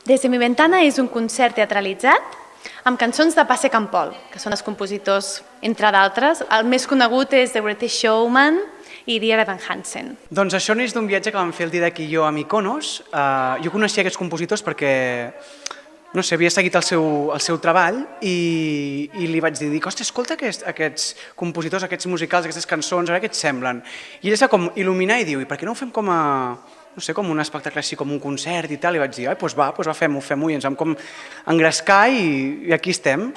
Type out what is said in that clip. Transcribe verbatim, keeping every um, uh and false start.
Desde mi ventana és un concert teatralitzat amb cançons de Passe Campol, que són els compositors, entre d'altres. El més conegut és The Greatest Showman i Dear Evan Hansen. Doncs això neix d'un viatge que vam fer el Didac i jo a Mykonos. Uh, jo coneixia aquests compositors perquè, no sé, havia seguit el seu, el seu treball i, i li vaig dir, dic, ostres, escolta aquests, aquests compositors, aquests musicals, aquestes cançons, a veure què et semblen. I ell s'ha com il·luminar i diu, i per què no ho fem com a... no sé, com un espectacle així, com un concert i tal, i vaig dir, ai, doncs va, doncs va, fem-ho, fem-ho, i ens vam com engrescar i, i aquí estem.